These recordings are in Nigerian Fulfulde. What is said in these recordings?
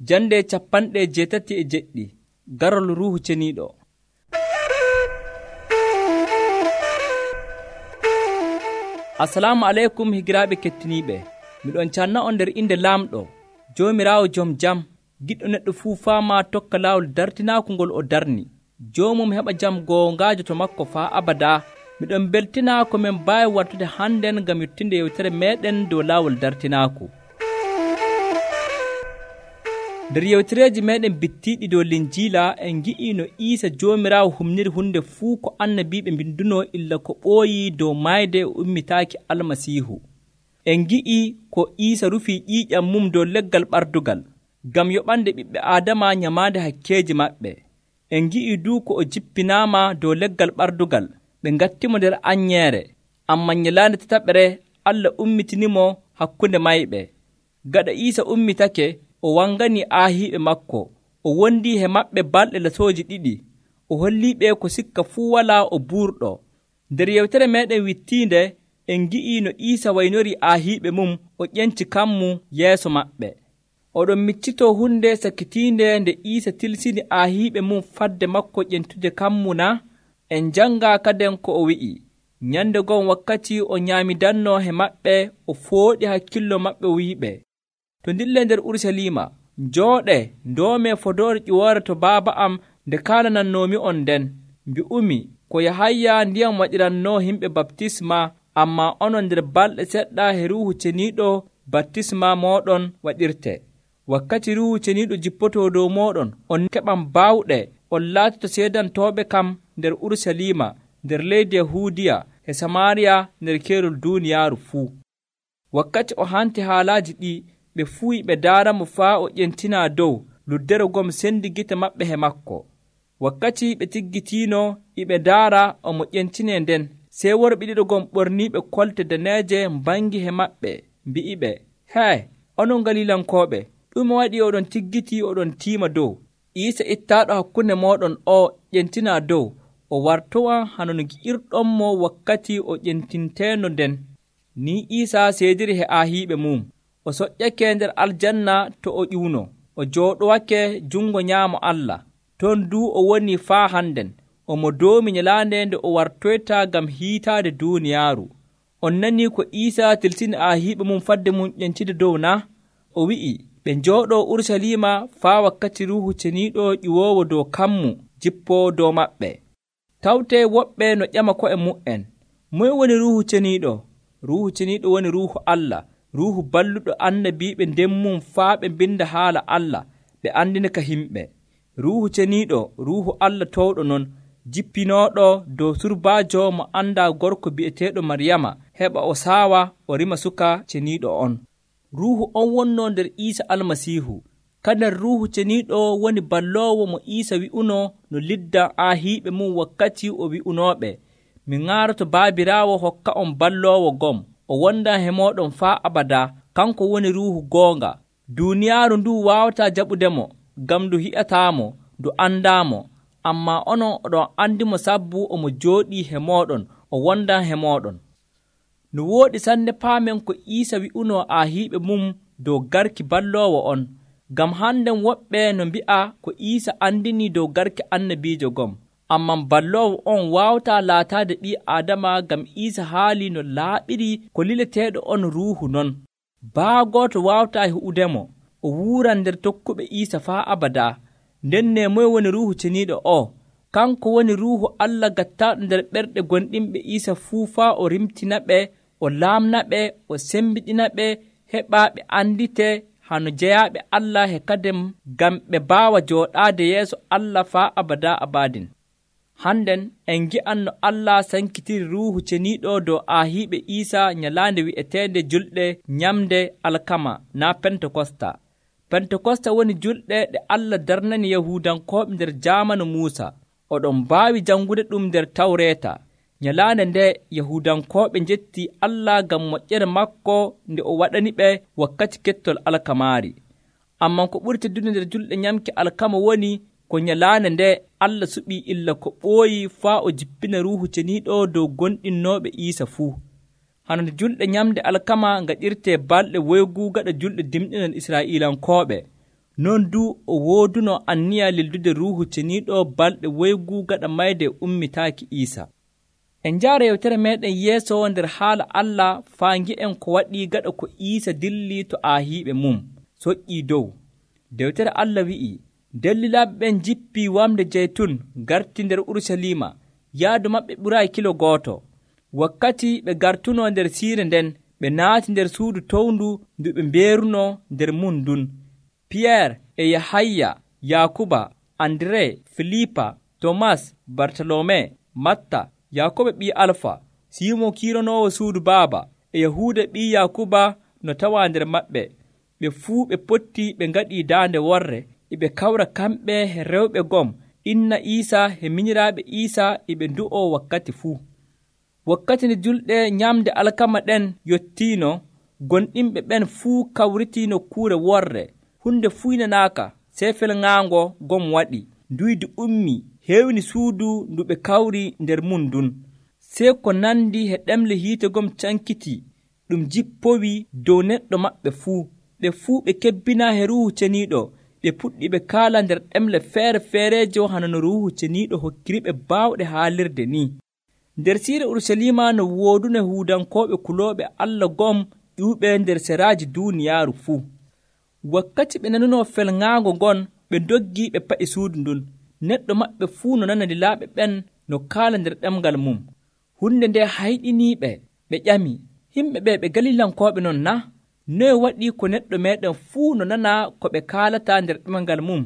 Jande 87 garol Ruuhu Ceniiɗo. Assalamu aleykum higiraaɓe kettiniiɓe. Miɗon canna on nder inde Laamɗo, Joomiraawo Jom Jam, giɗɗo neɗɗo fuu faamaa tokka laawol dartinaaku ngol o darni. Joomum heɓa jam goongaajo to makko faa abadaa. Miɗon beltinaa ko min mbaawi wartude hannden ngam yottinde yewtere meeɗen dow laawol dartinaaku. Nder yewtereeji meeɗen bittiiɗi dow Linjiila en ngi'ii no Iisa Joomiraawo humniri hunde fuu ko annabiiɓe mbindunoo illa ko ɓooyii dow maayde e ummitaaki Almasiihu. En ngi'ii ko Iisa rufii ƴiiƴam mum dow leggal ɓardugal ngam yoɓande ɓiɓɓe Aadama nyamaande hakkeeji maɓɓe. En ngi'ii duu ko o jippinaama dow leggal ɓardugal ɓe ngattimo nder anyeere, ammaa nyalaande tataɓere Allah ummitinimo hakkunde mayɓe. Gaɗa Iisa ummitake, o wanganii aahiiɓe maako, o wondii he maɓɓe balɗe lasooji 2, o holliiɓe ko sikka fuu walaa o buurɗo. Nder yewtere meeɗen wittiinde en ngi'ii no Iisa waynorii aahiiɓe mum o ƴenci kammu yeeso maɓɓe. Oɗon miccitoo hunde sakitiinde nde Iisa tilsini aahiiɓe mum fadde makko ƴentude kammu na? En njanngaa kaden ko o wi'i. Nyande gon wakkati o nyaamidannoo he maɓɓe, o fooɗi hakkillo maɓɓe wi'iɓe, to ndillee nder Urusalima, njooɗee ndoomee fodoore ƴiwoore to Baaba am nde kaalanannoomi'on nden. Mbi'umi ko Yahaya ndiyam waɗirannoo himɓe baptisma, ammaa onon nder balɗe seɗɗa he Ruuhu Ceniiɗo baptisma mooɗon waɗirte. Wakkati Ruuhu Ceniiɗo jippotoo dow mooɗon, on keɓan baawɗe, on laatoto seedantooɓe kam nder Urusalima, nder leydi Yahuudiya, e Samaariya, nder keerol duuniyaaru fuu. Wakkati o hanti haalaaji ɗi, ɓe fuu ɓe daaramo faa o ƴentinaa dow luddere gom sendi gite maɓɓe he makko. Wakkati ɓe tiggitiino iɓe ndaara omo ƴentinee nden, sey worɓe 2 gom ɓorniiɓe kolte daneeje mbangi he maɓɓe, mbi'iɓe, hee, onon Galilankooɓe, ɗume waɗi oɗon tiggiti oɗon tiima dow? Iisa ittaaɗo hakkunde mooɗon o ƴentinaa dow, o wartowan hano no gi'irɗonmo wakkati o ƴentinteeno nden. Ni Iisa seediri he aahiiɓe mum. O soƴƴake nder aljanna to o ƴuuno, o jooɗowake jungo nyaamo Allah. Ton duu o woni faa hannden, omo doomi nyalaande nde o wartoyta ngam hiitaade duuniyaaru. On nanii ko Iisa tilsini aahiiɓe mum fadde mum ƴentide dow na? O wi'i, ɓe njooɗoo Urusalima faa wakkati Ruuhu Ceniiɗo ƴiwoowo dow kammu jippoo dow maɓɓe. Tawtee woɓɓe no ƴama ko'e mu'en, moye woni Ruuhu Ceniiɗo? Ruuhu Ceniiɗo woni Ruuhu Allah, Ruuhu balluɗo annabiiɓe nden mum faa ɓe mbinda haala Allah, ɓe andina ka himɓe. Ruuhu Ceniiɗo, Ruuhu Allah towɗo non, jippinooɗo dow surbaajo mo andaa gorko bi'eteeɗo Maryama, heɓa o saawa o rima suka ceniiɗo on. Ruuhu on wonnoo nder Iisa Almasiihu. Kadin Ruuhu Ceniiɗo woni balloowo mo Iisa wi'unoo no liddan aahiiɓe mum wakkati o wi'unooɓe, mi ŋaaroto Baabiraawo hokka on balloowo gom, o wondan he mooɗon faa abadaa, kanko woni Ruuhu goonga. Duuniyaaru nduu waawataa jaɓudemo, ngam ndu hi'ataamo, ndu andaamo, ammaa onon oɗon andimo sabbu omo jooɗii he mooɗon, o wondan he mooɗon. No wooɗi sanne paamen ko Iisa wi'unoo aahiiɓe mum dow garki balloowo on, ngam hannden woɓɓe no mbi'a ko Iisa andinii dow garki annabiijo gom. Amman balloowo on waawataa laataade ɓii Aadama ngam Iisa haalii no laaɓiri ko lileteeɗo on Ruuhu non. Baagooto waawataa hi'udemo, o wuuran nder tokkuɓe Iisa faa abadaa. Nden ne moye woni Ruuhu Ceniiɗo o? Kanko woni Ruuhu Allah gattaaɗo nder ɓerɗe gonɗinɓe Iisa fuu faa o rimtinaɓe, o laamnaɓe, o sembiɗinaɓe, heɓaa ɓe andite hano jeyaaɓe Allah he kadem ngam ɓe mbaawa jooɗaade yeeso Allah faa abadaa abadin. Hannden en ngi'an no Allah sankitiri Ruuhu Ceniiɗo dow aahiiɓe Iisa nyalaande wi'eteende julɗe nyamde alkama naa Pentekosta. Pentekosta woni julɗe ɗe Allah darnani Yahuudankooɓe nder jaamanu Muusa. Oɗon mbaawi janngude ɗum nder Tawreeta. Nyalaande nde Yahuudankooɓe njettii Allah ngam moƴƴere makko nde o waɗaniɓe wakkati kettol alkamaari. Amman ko ɓuri teddude nder julɗe nyamki alkama woni ko nyalaande nde Allah suɓii illa ko ɓooyi faa o jippina Ruuhu Ceniiɗo dow gonɗinnooɓe Iisa fuu. Hano nde julɗe nyamde alkama ngaɗirtee balɗe woygu gaɗa julɗe dimɗinal Israa'iilankooɓe. non du o wooduno anniya lildude Ruuhu Ceniiɗo balɗe woygu gaɗa mayde ummitaaki Iisa. En njaara yewtere meeɗen yeeso nder haala Allah faa ngi'en ko waɗii gaɗa ko Iisa dilli to aahiiɓe mum soƴƴii dow. Dewtere Allah wi'ii, dellilaaɓe ɓen jippii wamde jeytun garti nder Urusalima, yaadu maɓɓe ɓuraayi kilo gooto. Wakkati ɓe gartuno nder siire nden, ɓe naati nder suudu towndu ndu ɓe mbeeruno nder mum ndun. Piyeer e Yahaya, Yaakuba, Andire, Filipa, Tomas, Bartalome, Matta, Yaakoba ɓii Alfa, Siimon kiiranoowo suudu baaba, e Yahuuda ɓii Yaakuba no tawaa nder maɓɓe. Ɓe fuu ɓe potti ɓe ngaɗii daande worre, eɓe kawra kamɓe e rewɓe gom, inna Iisa e minyiraaɓe Iisa eɓe ndu'oo wakkati fuu. Wakkati nde julɗe nyamde alkama ɗen yottiino, gonɗinɓe ɓen fuu kawritii nokkuure worre. Hunde fuynanaaka, sey felŋaango gom waɗi. Nduydi ummii, heewni suudu ndu ɓe kawri nder mum ndun. Sey ko nandi e ɗemle hiite gom cankiti, ɗum jippowii dow neɗɗo maɓɓe fuu. Ɓe fuu ɓe kebbinaa e Ruuhu Ceniiɗo, ɓe puɗɗi ɓe kaala nder ɗemle feere-feereeje hano no Ruuhu Ceniiɗo hokkiriɓe baawɗe haalirde ni. Nder siire Urusalima no woodune Yahuudankooɓe kulooɓe Allah gom ƴuuɓe nder seraaji duuniyaaru fuu. Wakkati ɓe nanuno felŋaango ngon, ɓe ndoggii ɓe pa'i suudu ndun. Neɗɗo maɓɓe fuu no nana lilaaɓe ɓen no kaala nder ɗemgal mum. Hunde nde hayɗiniiɓe, ɓe ƴami, yimɓe ɓe Galilankooɓe non na? Noye waɗii ko neɗɗo meeɗen fuu no nana ko ɓe kaalata nder ɗemgal mum?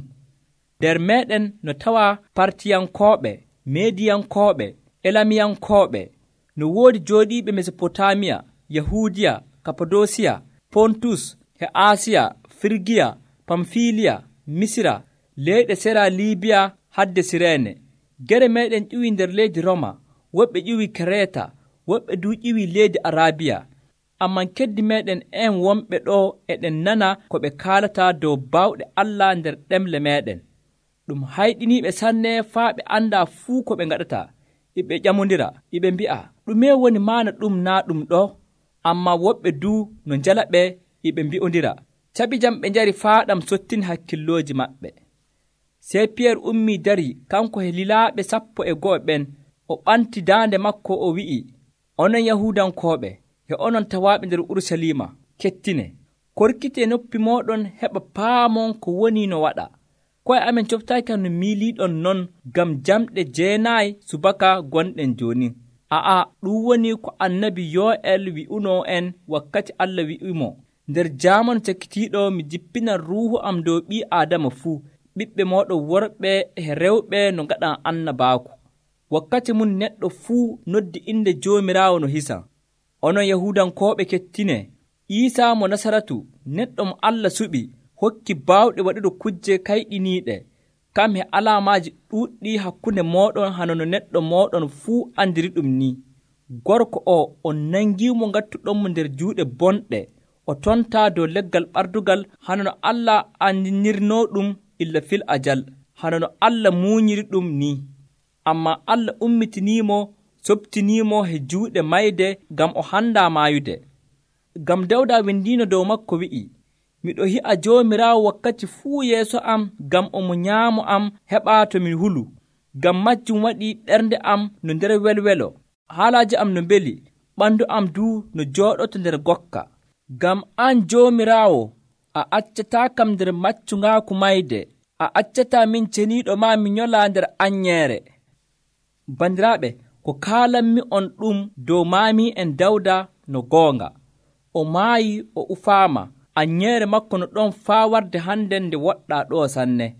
Nder meeɗen no tawaa Partiyankooɓe, Mediyankooɓe, Elamiyankooɓe, no woodi jooɗiiɓe Mesopotamiya, Yahuudiya, Kapadosiya, Pontus, e Asiya, Firgiya, Pamfiliya, Misira, leyɗe sera Liibiya hadde Sireene. Gere meeɗen ƴiwii nder leydi Roma, woɓɓe ƴiwii Kereeta, woɓɓe du ƴiwii leydi Arabiya. Amman keddi meeɗen en wonɓe ɗo eɗen nana ko ɓe kaalata dow baawɗe Allah nder ɗemle meeɗen. Ɗum hayɗiniiɓe sanne faa ɓe anndaa fuu ko ɓe ngaɗata. Iɓe ƴamondira, iɓe mbi'a, ɗume woni maana ɗum naa ɗum ɗo? Ammaa woɓɓe du no njala ɓe, iɓe mbi'ondira. Caɓi jam ɓe njari faa ɗam sottini hakkillooji maɓɓe. Sey Piyeer ummii dari kanko e lilaaɓe 12 ɓen, o ɓanti daande makko o wi'i, onon Yahuudankooɓe, e onon tawaaɓe nder Urusalima, kettine. Korkitee noppi mooɗon heɓa paamon ko woni no waɗa. Koye amen coftaaki no miiliiɗon non ngam jamɗe 9 subaka gonɗen jooni. Ɗum woni ko annabi Yo'el wi'uno en wakkati Allah wi'imo, nder jaamanu cakkitiiɗo mi jippinan Ruuhu am dow ɓii Aadama fuu, ɓiɓɓe mooɗon worɓe e rewɓe no ngaɗan annabaaku. Wakkati mum neɗɗo fuu noddi inde Joomiraawo no hisan. Onon Yahuudankooɓe kettine, Iisa mo Nasaratu, neɗɗo mo Allah suɓi, hokki baawɗe waɗude kujje kayɗiniiɗe, kam e alaamaaji ɗuuɗɗi hakkunde mooɗon hano no neɗɗo mooɗon fuu andiri ɗum ni. Gorko o on nangiimo ngattuɗonmo nder juuɗe bonɗe, o tontaa dow leggal ɓardugal hano no Allah andinirnoo ɗum illa fil ajal, hano no Allah muunyiri ɗum ni. Ammaa Allah ummitiniimo, soɓtiniimo e juuɗe mayde ngam o handaa maayude. Ngam Dawda windiino dow makko wi'i, miɗo hi'a Joomiraawo wakkati fuu yeeso am ngam omo nyaamo am heɓaa to mi hulu. Ngam majjum waɗi ɓernde am no nder welwelo, haalaaji am no mbeli, ɓanndu am duu no jooɗoto nder gokka. Ngam an Joomiraawo, a accataa kam nder maccungaaku mayde, a accataa min ceniiɗo maa mi nyolaa nder anyeere. Bandiraaɓe, ko kaalanmi on ɗum dow maami'en Dawda no goonga. O maayi o ufaama, anyeere makko no ɗon faa warde hande nde woɗɗaa ɗo sanne.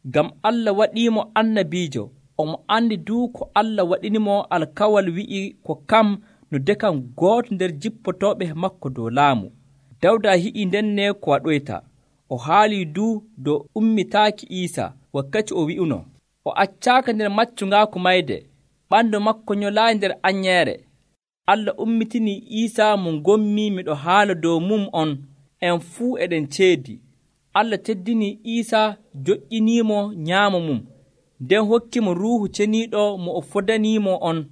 Ngam Allah waɗiimo annabiijo, omo andi duu ko Allah waɗinimo alkawal wi'i ko kam no dekan gooto nder jippotooɓe makko dow laamu. Dawda hi'i ndenne ko waɗoyta. O haalii duu dow ummitaaki Iisa wakkati o wi'uno, o accaaka nder maccungaaku mayde, ɓanndu makko nyolaayi nder anyeere. Allah ummitinii Iisa mo ngommi miɗo haala dow mum on, en fuu eɗen ceedi. Allah teddinii Iisa, joƴƴiniimo nyaamo mum, nden hokkimo Ruuhu Ceniiɗo mo o fodaniimo on.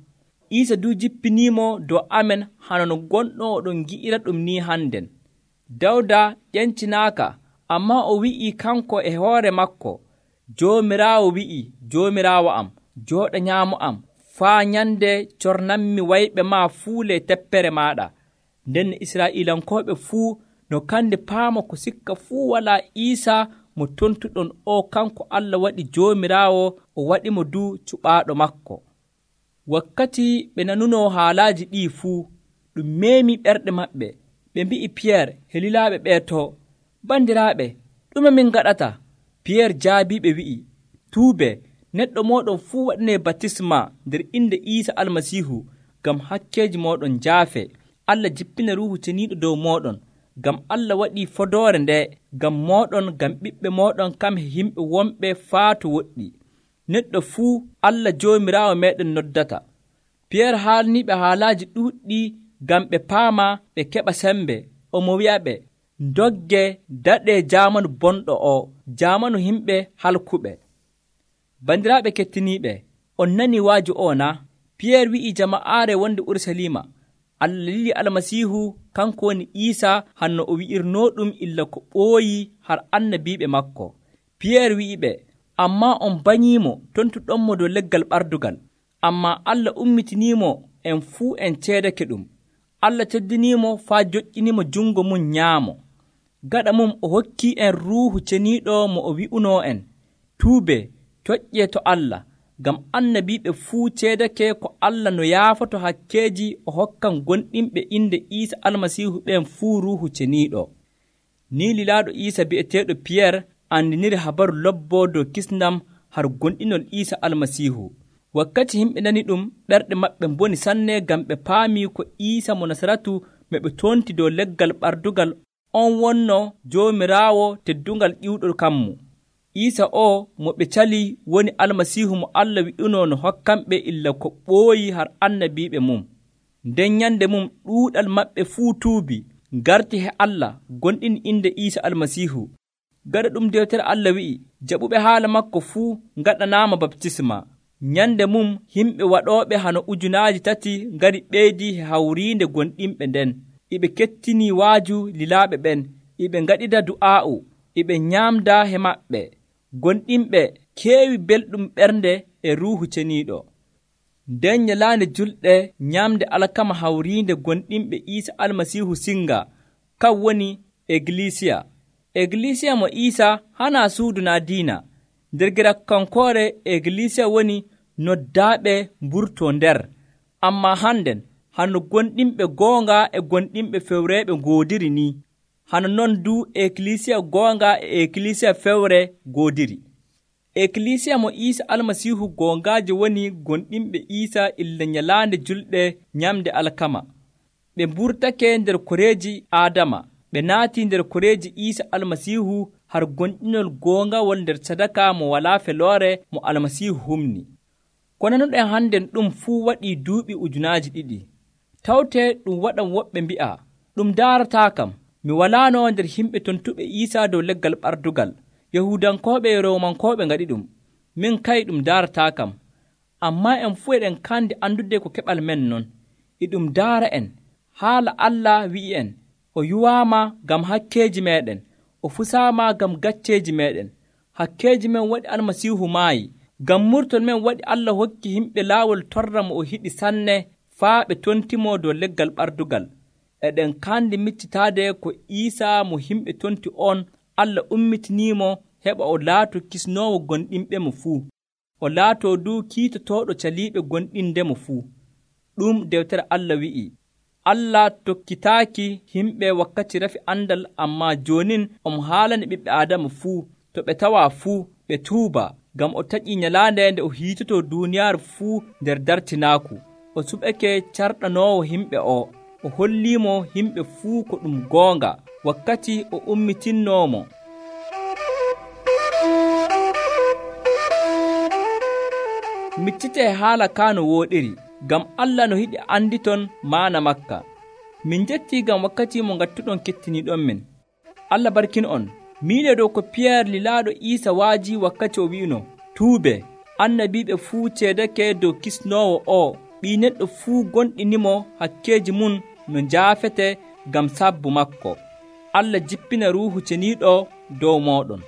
Iisa du jippiniimo dow amen hano no gonɗo oɗon gi'ira ɗum ni hannden. Dawda ƴencinaaka, Ammaa o wi'ii kanko e hoore makko, Joomiraawo wi'ii, Joomiraawo am, jooɗa nyaamo am, faa nyande cornanmi wayɓe maa fuu ley teppere maaɗa. Nden Israa'iilankooɓe fuu no kandi paama ko sikka fuu walaa Iisaa mo tontuɗon o kanko Allah waɗi Joomiraawo o waɗimo du cuɓaaɗo makko. Wakkati ɓe nanunoo haalaaji ɗii fuu, ɗum meemii ɓerɗe maɓɓe. Ɓe mbi'i Piyeer e lilaaɓe ɓee too, bandiraaɓe, ɗume min gaɗata? Piyeer jaabiiɓe wi'i, tuubee, neɗɗo mooɗon fuu waɗinee batisma nder inde Iisa Almasiihu ngam hakkeeji mooɗon njaafee. Allah jippina Ruuhu Ceniiɗo dow mooɗon, ngam Allah waɗii fodoore ndee ngam mooɗon, ngam ɓiɓɓe mooɗon kam e yimɓe wonɓe faa to woɗɗi. Neɗɗo fuu Allah Joomiraawo meeɗen noddata. Piyeer haalniiɓe haalaaji ɗuuɗɗi ngam ɓe paama ɓe keɓa sembe. Omo wi'aɓe, ndogge daɗee jaamanu bonɗo o, jaamanu yimɓe halkuɓe. Bandiraaɓe kettiniiɓe, on nanii waaju o na? Piyeer wi'ii jama'aare wonde Urusalima, Allah lili Almasiihu kanko woni Iisaa hanno o wi'irnooɗum illa ko ɓooyi har annabiiɓe makko. Piyeer wi'iɓe, ammaa on banyiimo tontuɗonmo dow leggal ɓardugal. Ammaa Allah ummitiniimo en fuu en ceedake ɗum. Allah teddiniimo faa joƴƴinimo jungo mum nyaamo. Gaɗa mum o hokkii en Ruuhu Ceniiɗo mo o wi'unoo en, tuubee, toƴƴee to Allah, ngam annabiiɓe fuu ceedake ko Allah no yaafoto hakkeeji o hokkan gonɗinɓe inde Iisa Almasiihu ɓen fuu Ruuhu Ceniiɗo. Ni lilaaɗo Iisa bi'eteeɗo Piyeer andiniri habaru lobboo dow kisndam har gonɗinol Iisa Almasiihu. Wakkati yimɓe nani ɗum, ɓerɗe maɓɓe mboni sanne ngam ɓe paamii ko Iisa mo Nasaratu mo ɓe tonti dow leggal ɓardugal on wonno Joomiraawo teddungal ƴiwɗo kammu. Iisa o mo ɓe cali woni Almasiihu mo Allah wi'unoo no hokkanɓe illa ko ɓooyi har annabiiɓe mum. Nden nyande mum ɗuuɗal maɓɓe fuu tuubi, ngarti he Allah, gonɗini inde Iisa Almasiihu. Gaɗa ɗum dewtere Allah wi'i, jaɓuɓe haala makko fuu ngaɗanaama baptisma. Nyande mum yimɓe waɗooɓe hano 3,000 ngari ɓeydii he hawriinde gonɗinɓe nden. Iɓe kettinii waaju lilaaɓe ɓen, iɓe ngaɗida du'aa'u, iɓe nyaamda he maɓɓe. Gonɗinɓe keewi belɗum ɓernde e Ruuhu Ceniiɗo. Nden nyalaande julɗe nyaamde alkama hawriinde gonɗinɓe Iisa Almasiihu singa, kan woni Egilisiya. Egilisiya mo Iisa hanaa suudu naa diina. Nder girakkankoore Egilisiya woni noddaaɓe mburtoo nder. Ammaa hannden hano gonɗinɓe goonga e gonɗinɓe fewreeɓe ngoodiri ni. Hano non du Egilisiya goonga e Egilisiya fewre ngoodiri. Egilisiya mo Iisa Almasiihu goongaaje woni gonɗinɓe Iisa illa nyalaande julɗe nyamde alkama. Ɓe mburtake nder koreeji Aadama, ɓe naatii nder koreeji Iisa Almasiihu har gonɗinol goongawol nder sadaka mo walaa feloore mo Almasiihu humni. Ko nanuɗen hannden ɗum fuu waɗii duuɓi 2,000. Tawtee ɗum waɗan woɓɓe mbi'a, ɗum daarataa kam, mi walaano nder yimɓe tontuɓe Iisaa dow leggal ɓardugal. Yahuudankooɓe e Roomankooɓe ngaɗi ɗum. Min kay ɗum daarataa kam. Ammaa en fuu eɗen kandi andude ko keɓal men non. E ɗum daara en. Haala Allah wi'i en, o yuwaama ngam hakkeeji meeɗen, o fusaama ngam gacceeji meeɗen. Hakkeeji men waɗi Almasiihu maayi. Ngam murtol men waɗi Allah hokki yimɓe laawol torra mo o hiɗi sanne faa ɓe tontimo dow leggal ɓardugal. Eɗen kandi miccitaade ko Iisaa mo yimɓe tonti on Allah ummitiniimo heɓa o laato kisnoowo gonɗinɓe mo fuu. O laatoo du kiitotooɗo caliiɓe gonɗindemo fuu. Ɗum dewtere Allah wi'i. Allah tokkitaaki yimɓe wakkati rafi andal, ammaa joonin omo haalani ɓiɓɓe Aadama fuu, to ɓe tawaa fuu ɓe tuuba, ngam o taƴii nyalaande nde o hiitotoo duuniyaaru fuu nder dartinaaku. O suɓake carɗanoowo yimɓe o holliimo yimɓe fuu ko ɗum goonga wakkati o ummitinoomo. Miccitee haala kaa no wooɗiri, ngam Allah no yiɗi anditon maana makka. Min njettii ngam wakkati mo ngattuɗon kettiniiɗon men. Allah barkin on. Miile dow ko Piyeer lilaaɗo Iisa waaji wakkati o wi'uno, tuube, annabiiɓe fuu ceedake dow kisnoowo o, ɓii neɗɗo fuu gonɗinimo hakkeeji mum no njaafete ngam sabbu makko. Allah jippina Ruuhu Ceniiɗo dow moɗon.